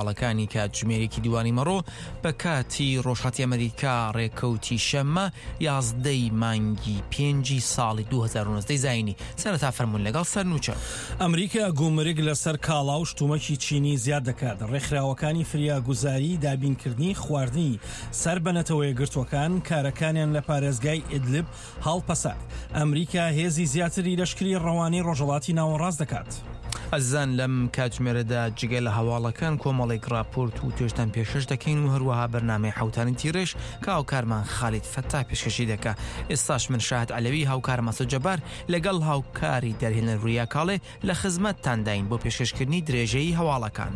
هەواڵەکانی کاتژمێرێکی دوانیمەڕۆ بە کاتی ڕۆژهەڵاتی ئەمریکا ڕێکەوتی شەممە یازدەی مانگی پێنجی ساڵی 2019 زایینی سەرەتا فەرموون لەگەڵ سەرنوچە. ئەمریکا گومرگ لەسەر کاڵا و شتومەکی چینی زیاد دەکات، ڕێکخراوەکانی فریاگوزاری دابینکردنی خواردنی سەر بە نەتەوەیەکگرتووەکان کارەکانیان لە پارێزگای ئیدلب هەڵپەسارد. ئەمریکا هێزی زیاتری لەشکری ڕەوانەی ڕۆژهەڵاتی ناوەڕاست دەکات. ئەزیزان لەم کاتژمێرەدا جگە لە هەواڵەکان کۆمەڵێک ڕاپۆرت و توێژتان پێشکەش دەکەین و هەروەها بەرنامەی حەوتانی تیڕێژ کە هاوکارمان خالید فەتاح پێشکەشی دەکا. ئێستاش من شاهد عەلەوی هاوکارم ئاسۆ جەبار لەگەڵ هاوکاری دەرهێنەر وریا کاڵێ لە خزمەتتانداین بۆ پێشکەشکردنی درێژەی هەواڵەکان.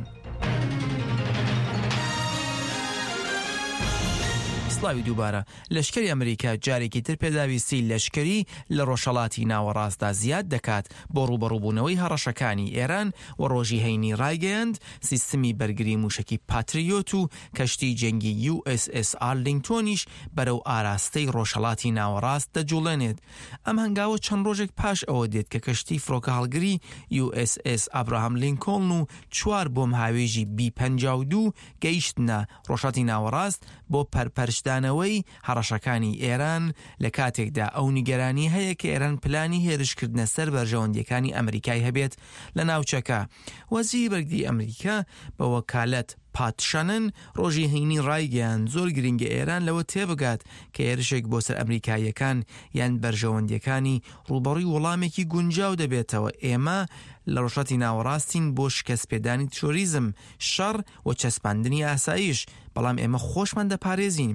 سڵاوی دووبارە. لەشکری ئەمریکا جارێکی تر پێداویستی لەشکری لە ڕۆژهەڵاتی ناوەڕاستدا زیاد دەکات بۆ ڕووبەڕووبوونەوەی هەڕەشەکانی ئێران و ڕۆژی هەینی ڕایگەیاند سیستمی بەرگری موشەکی پاتریۆت و کەشتی جەنگی یو ئێس ئێس ئارلینگتۆنیش بەرەو ئاراستەی ڕۆژهەڵاتی ناوەڕاست دەجوڵێنێت. ئەم هەنگاوە چەند ڕۆژێک پاش ئەوە دێت کە کەشتی فڕۆکەهەڵگری یو ئێس ئێس ئابراهام لینکۆڵن و چوار بۆمبهاوێژی بی 52 گەیشتنە ڕۆژهەڵاتی ناوەڕاست بۆ پەرپەرچدانەوەی هەڕەشەکانی ئێران، لە کاتێکدا ئەو نیگەرانی هەیە کە ئێران پلانی هێرشکردنە سەر بەرژەوەندییەکانی ئەمریکای هەبێت لە ناوچەکە. وەزیری بەرگری ئەمریکا بە وەکالەت پات شەنن ڕۆژی هەینی ڕایگەیاند، زۆر گرنگە ئێران لەوە تێبگات کە هێرشێک بۆ سەر ئەمریکاییەکان یان بەرژەوەندییەکانی ڕووبەڕووی وەڵامێکی گونجاو دەبێتەوە، ئێمە لە ڕۆژهەڵاتی ناوەڕاستین بۆ شکستپێدانی تیرۆریزم، شەڕ و چەسپاندنی ئاسایش، بەڵام ئێمە خۆشمان دەپارێزین.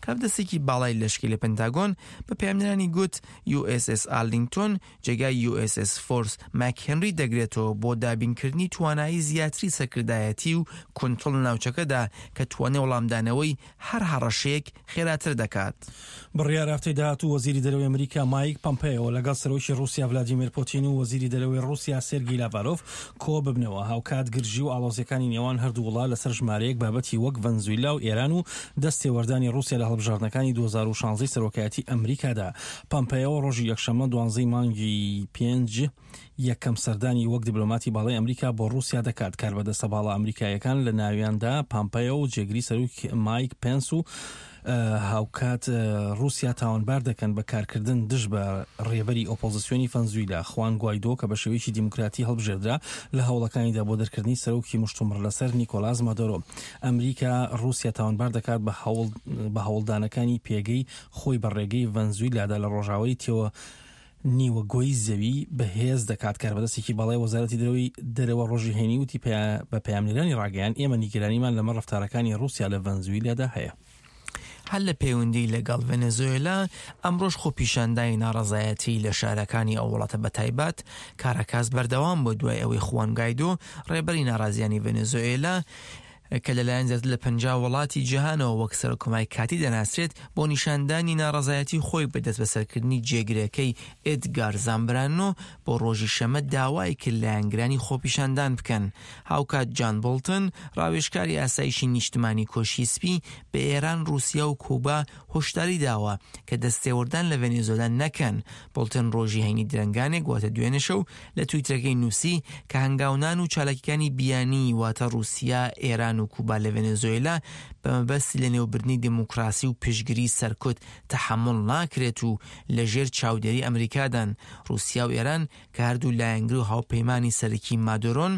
کاربەدەستێکی باڵای لەشکری لە پنتاگۆن بە پەیامنێرانی گوت، یو ئێس ئێس ئارلینگتۆن جێگای یو ئێس ئێس فۆرس ماکهێنری دەگرێتەوە بۆ دابینکردنی توانایی زیاتری سەرکردایەتی و کونتڕۆڵ لە ناوچەکەدا کە توانای وەڵامدانەوەی هەر هەڕەشەیەک خێراتر دەکات. بڕیارە هەفتەی داهاتوو وەزیری دەرەوەی ئەمریکا مایک پەمپەیۆ لەگەڵ سەرۆکی ڕووسیا ڤلادیمێر پوتین و وەزیری دەرەوەی ڕووسیا سێرگی لاڤارۆف کۆببنەوە. هاوکات گرژی و ئاڵۆزییەکانی نێوان هەردوو وڵات لەسەر ژمارەیەک بابەتی وەک ڤەنزویلا و ئێران و دەستێوەردانی ڕووسیا لە هەڵبژاردنەکانی 2016 سەرۆکایەتی ئەمریکادا پەمپەیۆ ڕۆژی یەکشەممە دوانزەی مانگی پێنج یەکەم سەردانی وەک دیبلۆماتی باڵای ئەمریکا بۆ ڕووسیا دەکات. کاربەدەستە باڵا ئەمریکاییەکان لە ناویاندا پامپەیۆ و جێگری سەرۆک مایک پێنس و هاوکات ڕووسیا تاوانبار دەکەن بە کارکردن دژ بە ڕێبەری ئۆپۆزسیۆنی فەنزویلا خوان گوایدۆ کە بە شێوەیەکی دیموکراتی هەڵبژێردرا لە هەوڵەکانیدا بۆ دەرکردنی سەرۆکی مشتومڕلەسەر نیکۆلاس مادۆرۆ. ئەمریکا ڕووسیا تاوانبار دەکات بە هەوڵدانەکانی پێگەی خۆی بە ڕێگەی ڤەنزویلادا لە ڕۆژاوای تێوە نیوە گۆی زەوی بەهێز دەکات. کاربەدەستێکی باڵای وەزارەتی دەرەوەی دەرەوە ڕۆژی هەینی وتی بە پەیامنێرانی ڕاگەیاند، ئێمە نیگەرانیمان لەمەڕ ڕەفتارەکانی ڕووسیا لە ڤەنزویلادا هەیە. هەر لە پەیوەندی لەگەڵ ڤەنەزۆێلا، ئەمڕۆش خۆپیشاندانی ناڕەزایەتی لە شارەکانی ئەو وڵاتە بەتایبەت کاراکاس بەردەوام بوو دوای ئەوەی خوان گایدۆ ڕێبەری ناڕازیانی ڤەنەزۆێلا کە لەلایەن زیاتر لە 50 وڵاتی جیهانەوە وەک سەرۆککۆماری کاتی دەناسرێت، بۆ نیشاندانی ناڕەزایەتی خۆی بە دەستبەسەرکردنی جێگرەکەی ئێدگار زامبرانۆ بۆ ڕۆژی شەممە داوای کرد لایەنگرانی خۆپیشاندان بکەن. هاوکات جان بۆڵتن، ڕاوێژکاری ئاسایشی نیشتمانی کۆشکی سپی بە ئێران، ڕووسیا و کوبا هۆشداری داوە کە دەستێوەردان لە ڤەنێزۆلا نەکەن. بۆڵتن ڕۆژی هەینی درەنگانێک واتە دوێنێ شەو لە تویتەرەکەی نووسی کە هەنگاونان و چالاکیەکانی بیانی واتە ڕووسیا، ئێران و کوبا لە ڤەنێزۆیلا بە مەبەستی لەنێوبردنی دێموکراسی و پشتگری سەرکوت تەحەموڵ ناکرێت و لە ژێر چاودێری ئەمریکادان. ڕووسیا و ئێران کە هەردوو لایەنگر و هاوپەیمانی سەرەکی مادۆرۆن،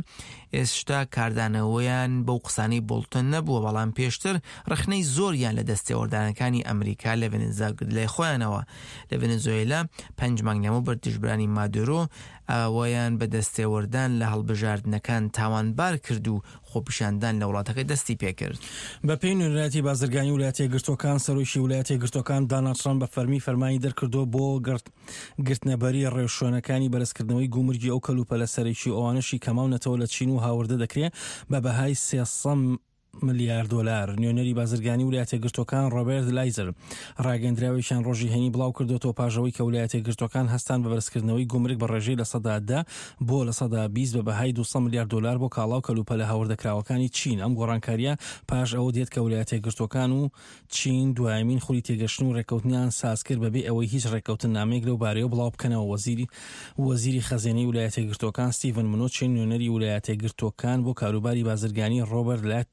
ئێستا کاردانەوەیان بەو قسانەی بۆڵتن نەبووە، بەڵام پێشتر ڕەخنەی زۆریان لە دەستێوەردانەکانی ئەمریکا لە ڤەنزا گرت لای خۆیانەوە. لە ڤەنزۆیلا پەنج مانگ لەمەوبەر دژبەرانی مادۆرۆ ئەویان بە دەستێوەردان لە هەڵبژاردنەکان تاوانبار کرد و خۆپیشاندان لە وڵاتەکە دەستی پێکرد. بەپێی نوێنەرایەتی بازرگانی ولایەتە یەکگرتووەکان، سەرۆکی ولایەتە یەکگرتووەکان داناڵد ترەمپ بە فەرمی فەرمانی دەرکردووە بۆ گرتنەبەری ڕێوشوێنەکانی بەرزکردنەوەی گومرگی ئەو کەلوپەلە سەرەکی و ئەوانەشی کە ماونەتەوە لە چین و هاوردە دەکرێ بە بەهای 300. ملیار دۆلار. نوێنەری بازرگانی ولایەتە یەکگرتووەکان ڕۆبێرت لایزەر ڕاگەیەندراوێکیان ڕۆژی هەینی بڵاو کردۆتەوە پاش ئەوەی کە ولایەتە یەکگرتووەکان هەستان بە بەرزکردنەوەی گومرگ بە ڕێژەی 10% بۆ 20% بە بەهای 200 ملیار دۆلار بۆ کاڵا و کەلوپەلە هاوردەکراوەکانی چین. ئەم گۆڕانکارییە پاش ئەوە دێت کە ولایەتە یەکگرتووەکان و چین دوایەمین خولی تێگەشتن و ڕێککەوتنیان سازکرد بەبێ ئەوەی هیچ ڕێککەوتننامەیەک لەو بارەیەوە بڵاو بکەنەوە. وەزیری وەزیری خەزێنەی ولایەتە یەکگرتووەکان ستیڤن منوچین، نوێنەری ولایەتە یەکگرتووەکان بۆ کاروباری بازرگانی ڕۆبەرت.